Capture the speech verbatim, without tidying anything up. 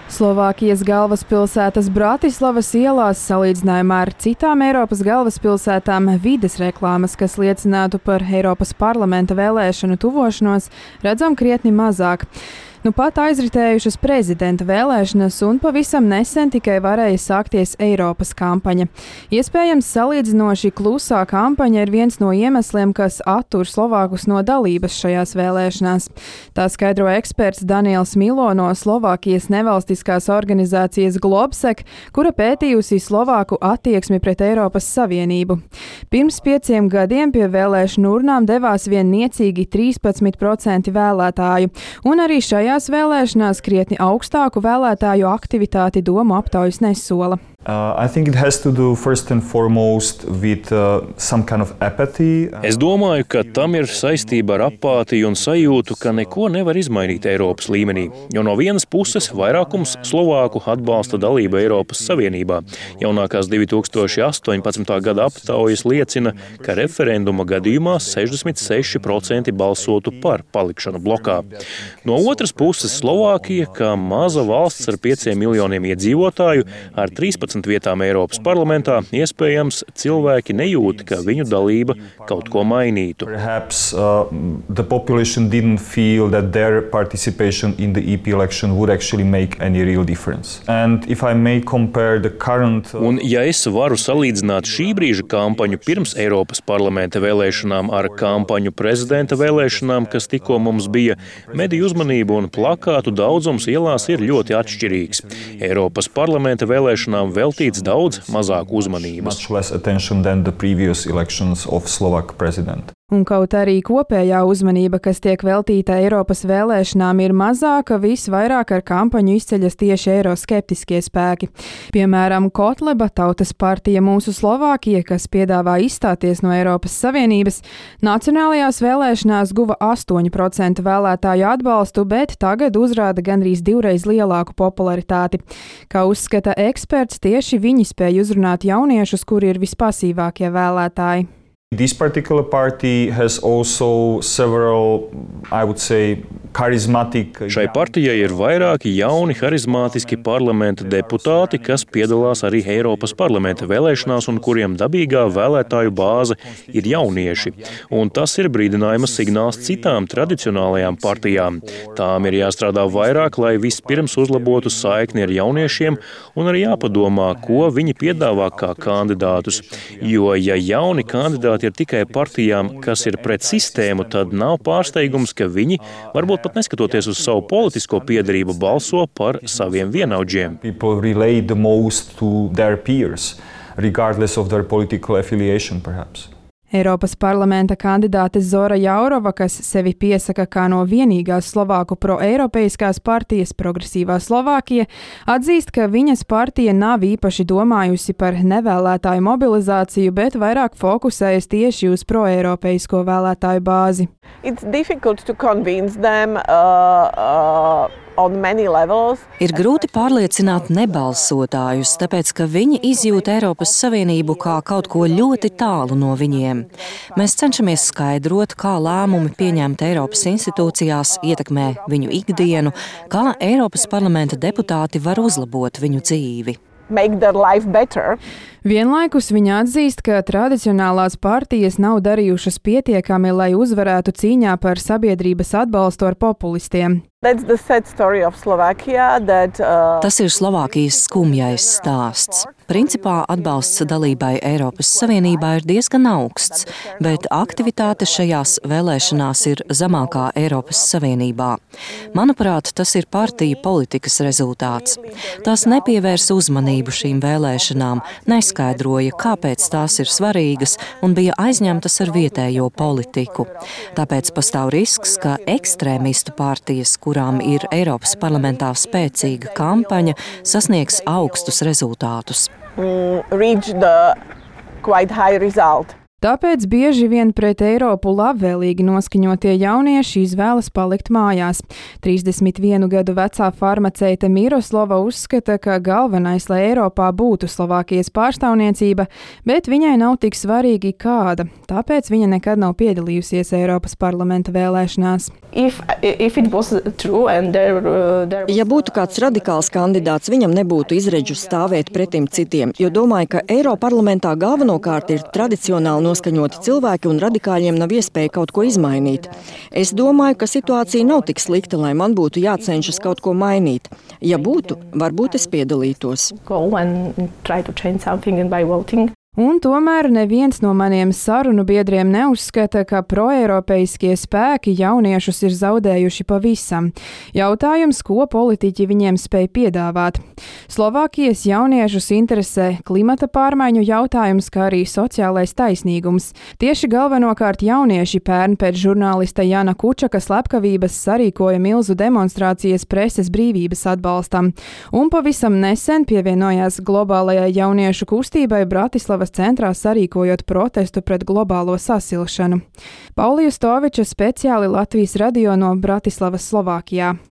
Slovākijas galvaspilsētas Bratislavas ielās salīdzinājumā ar citām Eiropas galvaspilsētām vides reklāmas, kas liecinātu par Eiropas parlamenta vēlēšanu tuvošanos, redzam krietni mazāk. Nu pat aizritējušas prezidenta vēlēšanas un pavisam nesen tikai varēja sākties Eiropas kampaņa. Iespējams, salīdzinoši klusā kampaņa ir viens no iemesliem, kas attur Slovākus no dalības šajās vēlēšanās. Tā skaidro eksperts Daniels Milo no Slovākijas nevalstiskās organizācijas Globsec, kura pētījusi Slovāku attieksmi pret Eiropas Savienību. Pirms pieciem gadiem pie vēlēšanu urnām devās vien niecīgi trīspadsmit procenti vēlētāju, un arī šajā Šajās vēlēšanās krietni augstāku vēlētāju aktivitāti domu aptaujas nesola. Uh, I think it has to do first and foremost with uh, some kind of apathy. Es domāju, ka tam ir saistība ar apātiju un sajūtu, ka neko nevar izmainīt Eiropas līmenī. Jo no vienas puses vairākums Slovāku atbalsta dalību Eiropas Savienībā. Jaunākās divi tūkstoši astoņpadsmitā gada aptaujas liecina, ka referenduma gadījumā sešdesmit seši procenti balsotu par palikšanu blokā. No otras puses Slovākija, kā maza valsts ar pieciem miljoniem iedzīvotāju, ar trīspadsmit vietām Eiropas parlamentā, iespējams, cilvēki nejūt, ka viņu dalība kaut ko mainītu. Perhaps uh, the population didn't feel that their participation in the E P election would actually make any real difference. And if I may compare the current uh... Un ja es varu salīdzināt šī brīža kampaņu pirms Eiropas parlamenta vēlēšanām ar kampaņu prezidenta vēlēšanām, kas tikko mums bija, mediju uzmanību un plakātu daudzums ielās ir ļoti atšķirīgs. Eiropas parlamenta vēlēšanām veltīts daudz mazāk uzmanības. Un kaut arī kopējā uzmanība, kas tiek veltīta Eiropas vēlēšanām, ir mazāka, visvairāk ar kampaņu izceļas tieši eiroskeptiskie spēki. Piemēram, Kotleba Tautas partija Mūsu Slovākija, kas piedāvā izstāties no Eiropas Savienības, nacionālajās vēlēšanās guva astoņu procentu vēlētāju atbalstu, bet tagad uzrāda gandrīz divreiz lielāku popularitāti. Kā uzskata eksperts, tieši viņi spēj uzrunāt jauniešus, kuri ir vispasīvākie vēlētāji. This particular party has also several, I would say, charismatic. Šai partijai ir vairāki jauni, harizmātiski parlamenta deputāti, kas piedalās arī Eiropas parlamenta vēlēšanās un kuriem dabīgā vēlētāju bāze ir jaunieši. Un tas ir brīdinājuma signāls citām tradicionālajām partijām. Tām ir jāstrādā vairāk, lai vispirms uzlabotu saikni ar jauniešiem un arī jāpadomā, ko viņi piedāvā kā kandidātus. Jo, ja jauni kandidāti ir tikai partijām, kas ir pret sistēmu, tad nav pārsteigums, ka viņi, varbūt pat neskatoties uz savu politisko piederību, balso par saviem vienaudžiem. People relate the most to their peers, regardless of their political affiliation, perhaps. Eiropas parlamenta kandidāte Zora Jaurova, kas sevi piesaka kā no vienīgās Slovāku pro-eiropeiskās partijas Progresīvā Slovākija, atzīst, ka viņas partija nav īpaši domājusi par nevēlētāju mobilizāciju, bet vairāk fokusējas tieši uz pro-eiropeisko vēlētāju bāzi. It's difficult to convince them uh, uh... Ir grūti pārliecināt nebalsotājus, tāpēc, ka viņi izjūt Eiropas Savienību kā kaut ko ļoti tālu no viņiem. Mēs cenšamies skaidrot, kā lēmumi pieņemti Eiropas institūcijās ietekmē viņu ikdienu, kā Eiropas parlamenta deputāti var uzlabot viņu dzīvi. Make their life better. Vienlaikus viņa atzīst, ka tradicionālās partijas nav darījušas pietiekami, lai uzvarētu cīņā par sabiedrības atbalstu ar populistiem. Slovakia, that, uh... Tas ir Slovākijas skumjais stāsts. Principā atbalsts dalībai Eiropas Savienībā ir diezgan augsts, bet aktivitāte šajās vēlēšanās ir zemākā Eiropas Savienībā. Manuprāt, tas ir partiju politikas rezultāts. Tās nepievērs uzmanību šīm vēlēšanām, neskaidroja, kāpēc tās ir svarīgas un bija aizņemtas ar vietējo politiku. Tāpēc pastāv risks, ka ekstrēmistu partijas, kurām ir Eiropas parlamentā spēcīga kampaņa, sasniegs augstus rezultātus. Mm, reach the quite high result. Tāpēc bieži vien pret Eiropu labvēlīgi noskaņotie jaunieši izvēlas palikt mājās. trīsdesmit vienu gadu vecā farmaceite Miroslava uzskata, ka galvenais, lai Eiropā būtu Slovākijas pārstāvniecība, bet viņai nav tik svarīgi kāda, tāpēc viņa nekad nav piedalījusies Eiropas parlamenta vēlēšanās. If, if there, uh, there ja būtu kāds radikāls kandidāts, viņam nebūtu izredzu stāvēt pretim citiem, jo domāju, ka Eiroparlamentā galvenokārt ir tradicionāli noskaņoti cilvēki un radikāļiem nav iespēja kaut ko izmainīt. Es domāju, ka situācija nav tik slikta, lai man būtu jācenšas kaut ko mainīt. Ja būtu, varbūt es piedalītos. Un tomēr neviens no maniem sarunu biedriem neuzskata, ka proeiropeiskie spēki jauniešus ir zaudējuši pavisam. Jautājums, ko politiķi viņiem spēj piedāvāt. Slovākijas jauniešus interesē klimata pārmaiņu jautājums, kā arī sociālais taisnīgums. Tieši galvenokārt jaunieši pērn pēc žurnālista Jana Kučaka slepkavības sarīkoja milzu demonstrācijas preses brīvības atbalstam. Un pavisam nesen pievienojās globālajai jauniešu kustībai Bratislavas centrā sarīkojot protestu pret globālo sasilšanu. Paulija Stoviča speciāli Latvijas radio no Bratislavas, Slovākijā.